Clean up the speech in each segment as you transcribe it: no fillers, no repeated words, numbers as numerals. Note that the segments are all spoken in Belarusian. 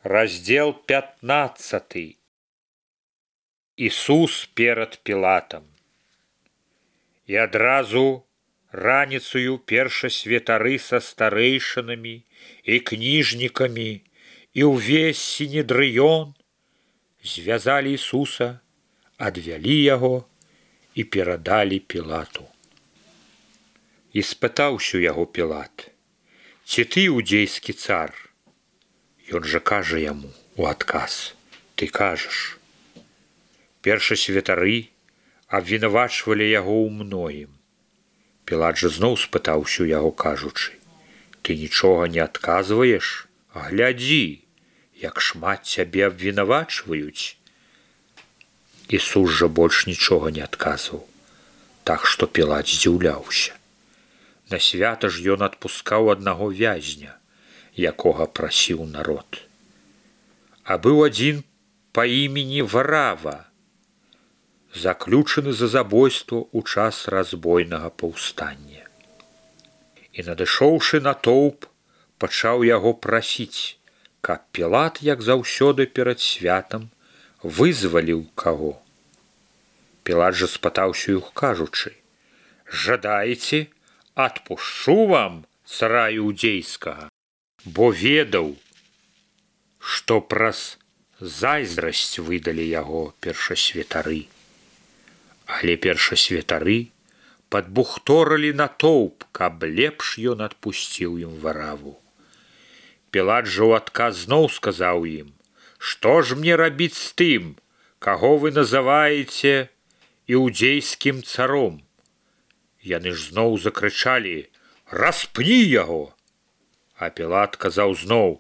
Раздел 15. Ісус перад Пілатам. І адразу раніцаю першасвятары са старэйшынамі і кніжнікамі і ўвесь сінедрыён звязалі Ісуса, адвялі яго і перадалі Пілату. І спытаўся яго Пілат: «Ці ты іудзейскі цар?» Ён жа кажа яму у адказ: «Ты кажаш». Першасвятары абвінавачвалі яго ў многім. Пілат жа зноў спытаўся ў яго, кажучы: «Ты нічога не адказваеш? Глядзі, як шмат цябе абвінавачваюць». Ісус жа больш нічога не адказваў, так што Пілат здзіўляўся. На свята ж ён адпускаў аднаго вязня, якога прасіў народ. А быў адзін па імені Варава, заключаны за забойство ў час разбойнага паўстання. І надышоўшы натоўп, пачаў яго прасіць, каб Пілат, як заўсёды перад святам, вызваліў каго. Пілат жа спытаўся іх, кажучы: «Жадаеце, адпушчу вам цара іудзейскага?» Бо ведаў, што праз зайздрасць выдалі яго першасвятары. Але першасвятары падбухторылі натоўп, каб лепш ён адпусціў ім Вараву. Пілат жа ў адказ зноў сказаў ім: «Што ж мне рабіць з тым, каго вы называеце іудзейскім царом?» Яны ж зноў закрычалі: «Распні яго!» А Пілат казаў зноў: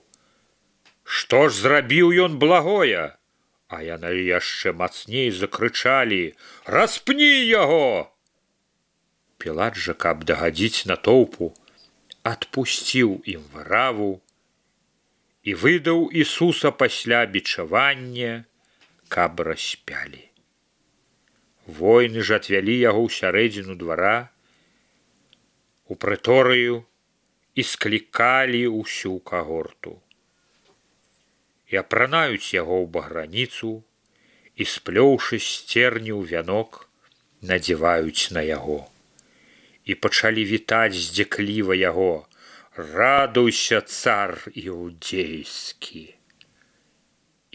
«Што ж зрабіў ён благое?» А яны яшчэ мацней закрычалі: «Распні яго!» Пілат жа, каб дагадзіць натоўпу, адпусціў ім Вараву і выдаў Ісуса пасля бичавання, каб распялі. Воіны ж адвялі яго ў сярэдзіну двара, у прыторыю, і склікалі ўсю кагорту. І апранаюць яго ў баграніцу, і, сплёўшы з церню вянок, надзяваюць на яго. І пачалі вітаць здзекліва яго: «Радуйся, цар іудзейскі!»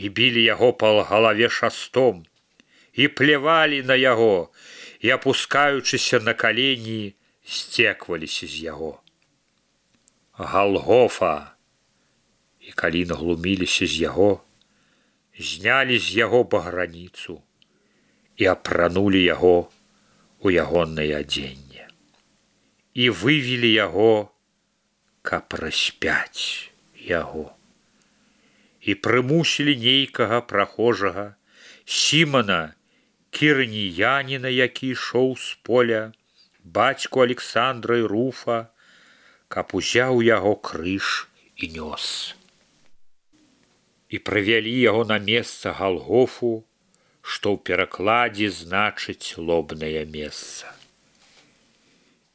І білі яго па галаве шастом, і плявалі на яго, і, апускаючыся на калені, здзекваліся з яго. Галгофа! І калі наглуміліся з яго, знялі з яго баграніцу і апранулі яго у ягонае адзенне. І вывелі яго, каб распяць яго. І прымусілі нейкага прахожага, Сімана Кірыніяніна, які ішоў з поля, бацьку Александра і Руфа, каб узяў яго крыж і нёс. І прывялі яго на месца Галгофу, што ў перакладзе значыць лобнае месца.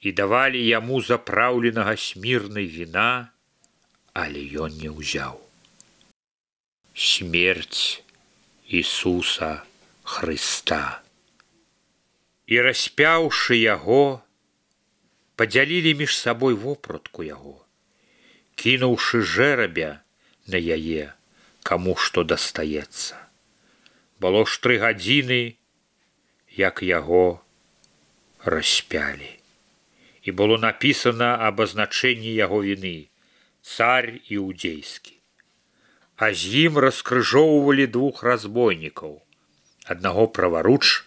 І давалі яму запраўленага смірнай віна, але ён не ўзяў. Смерць Ісуса Хрыста. І распяўшы яго, падзялілі між сабой вопратку яго, кінуўшы жэрабя на яе, каму што дастаецца. Было ж 3 гадзіны, як яго распялі. І было напісана абазначэнне яго віны: «Цар іудзейскі». А з ім раскрыжоўвалі 2 разбойнікаў, аднаго праваруч,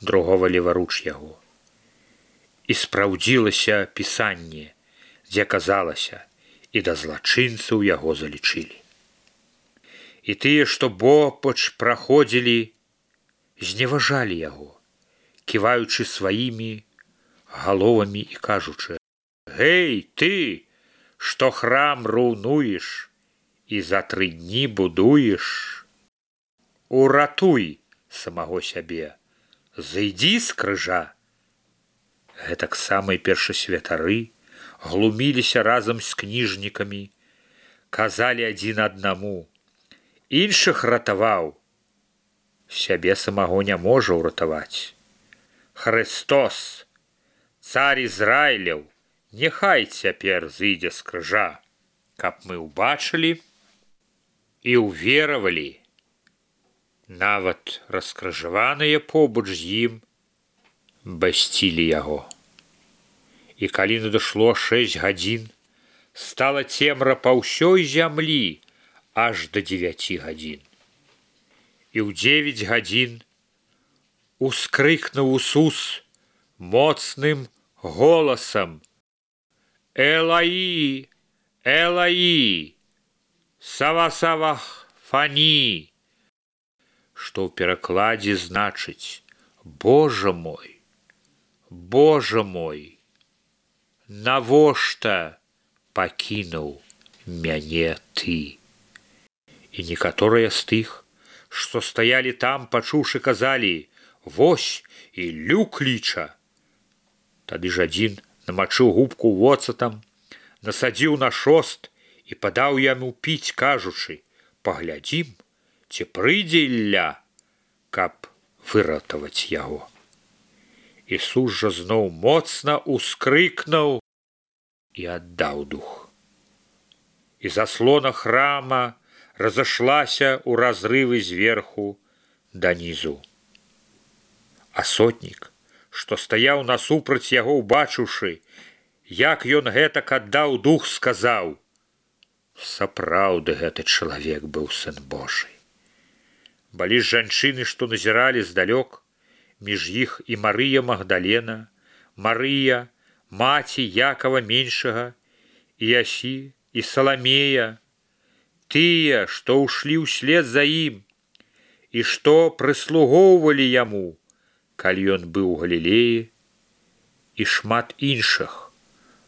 другого леваруч яго. І спраўдзілася пісанне, дзе казалася: «І да злачынцаў яго залічылі». І тыя, што бопач праходзілі, зневажалі яго, ківаючы сваімі галовамі і кажучы: «Гэй, ты, што храм руйнуеш і за 3 дні будуеш, уратуй самого сябе, зайдзі з крыжа». Гэтаксама і першасвятары глуміліся разам з кніжнікамі, казалі адзін аднаму: іншых ратаваў, сябе самого не можа ўратаваць. Христос, цар Ізраіляў, няхай цяпер зыдзе з крыжа, каб мы ўбачылі і ўверавалі. Нават раскрыжаваныя побач з ім басцілі яго. І калі надышло 6 гадзін, стала цемра па ўсёй зямлі аж да 9 гадзін. І ў 9 гадзін ускрыкнуў Ісус моцным голасам: «Элаі, Элаі, савасавахфані», што ў перакладзе значыць: «Божа мой, Божа мой, навошта пакінуў мяне ты?» І некаторыя з тых, што стаялі там, пачуўшы, казалі: «Вось Іллю кліча». Тады ж адзін намачыў губку воцатам, насадзіў на шост і падаў яму піць, кажучы: «Паглядзім, ці прыйдзе Ілля, каб выратаваць яго». Ісус жа зноў моцна ускрыкнуў і аддаў дух. І заслона храма разышлася ў разрывы зверху данізу. А сотнік, што стаяў насупраць яго, убачыўшы, як ён гэтак аддаў дух, сказаў: «Сапраўды гэты чалавек быў сын Божий». Былі жанчыны, што назіралі здалёк, між іх і Марыя Магдалена, Марыя, маці Якова меншага, і Ясі, і Саламея, тыя, што ўшлі ўслед за ім, і што прыслугоўвалі яму, калі ён быў у Галілеі, і шмат іншых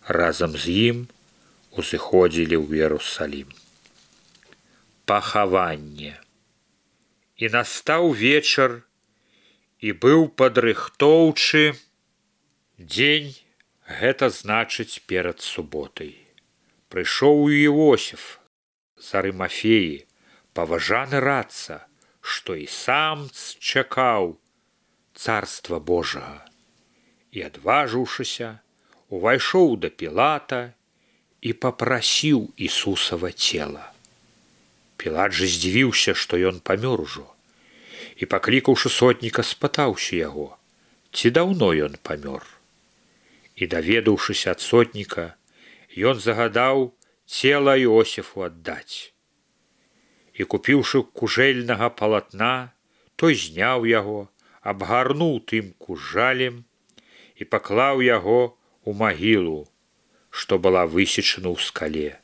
разам з ім узыходзілі ў Іерусалім. Пахаванне. І настаў вечар, і быў падрыхтоўчы дзень, гэта значыць перад суботай. Прыйшоў Іосіф з Арымафеі, паважаны радца, што і сам чакаў царства Божага. І, адважыўшыся, увайшоў да Пілата і папрасіў Ісусава цела. Пілат жа здзівіўся, што ён памёр ужо, і, паклікаўшы сотніка, спытаўся яго, ці даўно ён памёр. І, даведаўшыся ад сотніка, ён загадаў цела Іосіфу аддаць. І, купіўшы кужэльнага палатна, той зняў яго, абгарнуў тым кужалем і паклаў яго у магілу, што была высечана ў скале,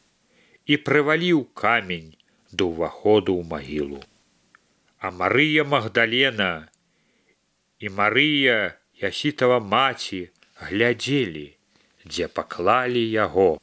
і прываліў камень да ўваходу ў магілу. А Марыя Магдалена і Марыя, Ясітава маці, глядзелі, дзе паклалі яго.